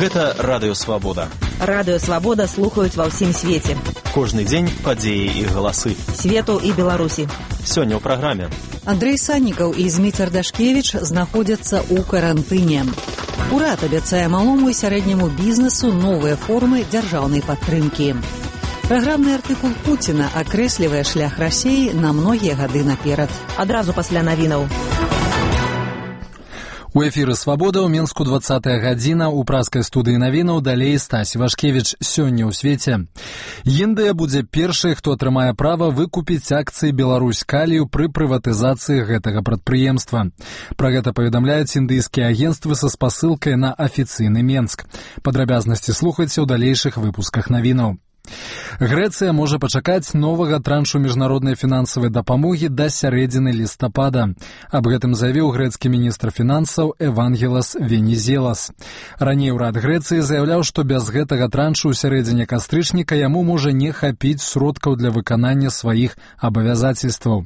Гэта Радыё Свабода. Радыё Свабода слухаюць ва ўсім свеце. Кожны дзень падзеі і галасы. Свету і Беларусі. Сёння ў праграме. Андрэй Саннікаў і Зміцер Дашкевіч знаходзяцца ў карантыне. Урад абяцае малому і сярэдняму бізнесу новыя формы дзяржаўнай падтрымкі. Праграмны артыкул Пуціна акрэслівае шлях Расіі на многія гады наперад. Адразу пасля навінаў. У эфіры «Свабода» ў Мінску 20-я гадзіна, у праскай студыі навінаў далей Стась Вашкевіч. Сёння ў свеце. Індыя будзе першай, хто атрымае права выкупіць акцыі Беларусь Калію пры прыватызацыі гэтага прадпрыемства. Пра гэта паведамляюць індыйскія агенцтвы са спасылкай на афіцыйны Менск. Падрабязнасці слухайце ў далейшых выпусках навінаў. Грэцыя можа пачакаць новага траншу міжнароднай фінансавай дапамогі да сярэдзіны лістапада. Аб гэтым заявіў грэцкі міністр фінансаў Евангелос Венізелас. Раней урад Грэцыі заяўляў, што без гэтага траншу ў сярэдзіне кастрычніка яму можа не хапіць сродкаў для выканання сваіх абавязацельстваў.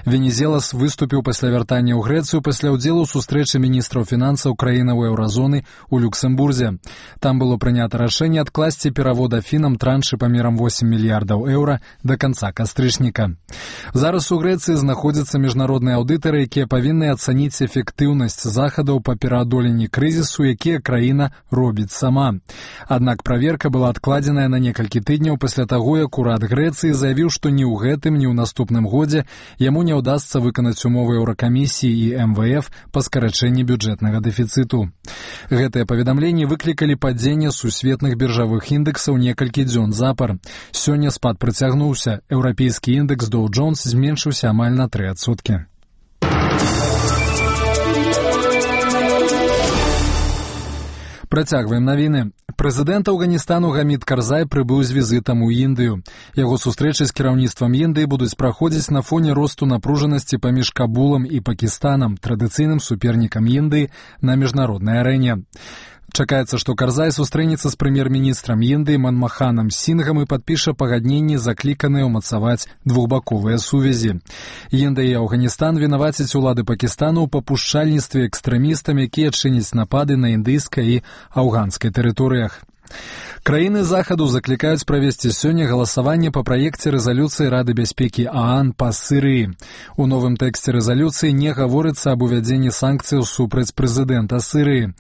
Венізелас выступіў пасля вяртання ў Грэцыю пасля ўдзелу ў сустрэчы міністраў фінансаў краінаў еўразоны ў Люксембурзе. Там было прынята рашэнне адкласці перавода фінам траншы памерам 8 мільярдаў еўра да канца кастрычніка. Зараз у Грэцыі знаходзяцца міжнародныя аўдытары, якія павінны ацаніць эфектыўнасць захадаў па пераадоленні крызісу, якія краіна робіць сама. Аднак праверка была адкладзеная на некалькі тыдняў пасля таго, як урад Грэцыі заявіў, што ні ў гэтым, ні ў наступным годзе яму не ўдасца выканаць умовы Еўракамісіі і МВФ па скарачэнні бюджэтнага дэфіцыту. Гэтыя паведамленні выклікалі падзенне сусветных біржавых індэксаў некалькі дзён запар. Сёння спад працягнуўся. Еўрапейскі індэкс Dow Jones зменшыўся амаль на 3%. Працягваем навіны. Прэзідэнт Афганістану Гамід Карзай прыбыў з візітам у Індыю. Яго сустрэчы з кіраўніцтвам Індыі будуць праходзіць на фоне росту напружанасці паміж Кабулам і Пакістанам, традыцыйным супернікам Індыі на міжнароднай арэне. Чакаецца, што Карзай сустрэнецца з прэм'ер-міністрам Індыі Манмаханам Сінгам і падпіша пагадненні, закліканыя ўмацаваць двухбаковыя сувязі. Індыя і Афганістан вінавацяць улады Пакістану ў папушчальніцтве экстрэмістам, якія чыняць напады на індыйскай і афганскай тэрыторыях. Краіны захаду заклікаюць правесці сёння галасаванне па праекце рэзалюцыі Рады бяспекі ААН па Сірыі. У новым тэксце рэзалюцыі не гаворыцца аб увядзенні санкцыяў супраць прэзідэнта Сірыі.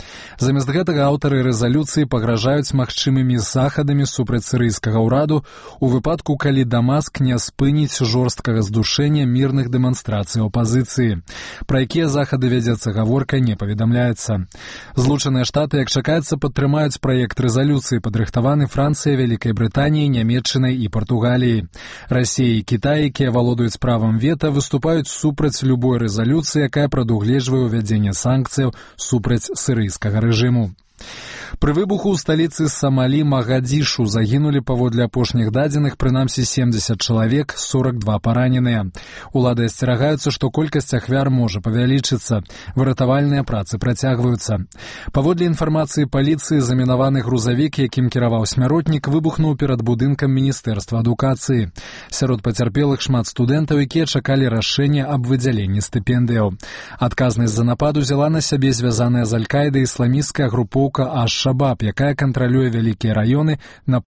Замест гэтага аўтары рэзалюцыі пагражаюць магчымымі захадамі супраць сірыйскага ўраду у выпадку, калі Дамаск не спыніць жорсткага здушэння мірных дэманстрацый апазіцыі. Пра якія захады вядзецца гаворка, не паведамляецца. Злучаныя Штаты, як чакаецца, падтрымаюць праект рэзалюцыі, падрыхтаваны Францыяй, Вялікай Брытаніяй, Нямецчынай і Партугаліяй. Расія і Кітай, якія валодаюць правам вета, выступаюць супраць любой рэзалюцыі, якая прадугледжвае ўвядзенне санкцыяў супраць сірыйскага рэжыму. Пры выбуху ў сталіцы Самалі Магадзішу загінулі паводле апошніх дадзеных прынамсі 70 чалавек, 42 параненыя. Улады асцерагаюцца, што колькасць ахвяр можа павялічыцца. Выратавальныя працы працягваюцца. Паводле інфармацыі паліцыі, замінаваны грузавік, якім кіраваў смяротнік, выбухнуў перад будынкам Міністэрства адукацыі. Сярод пацярпелых шмат студэнтаў, якія чакалі рашэння аб выдзяленні стыпендыяў. Адказнасць за напад узяла на сябе звязаная з Аль-Каідай ісламісцкая групоўка Аш-Шабаб, якая кантралюе вялікія раёны на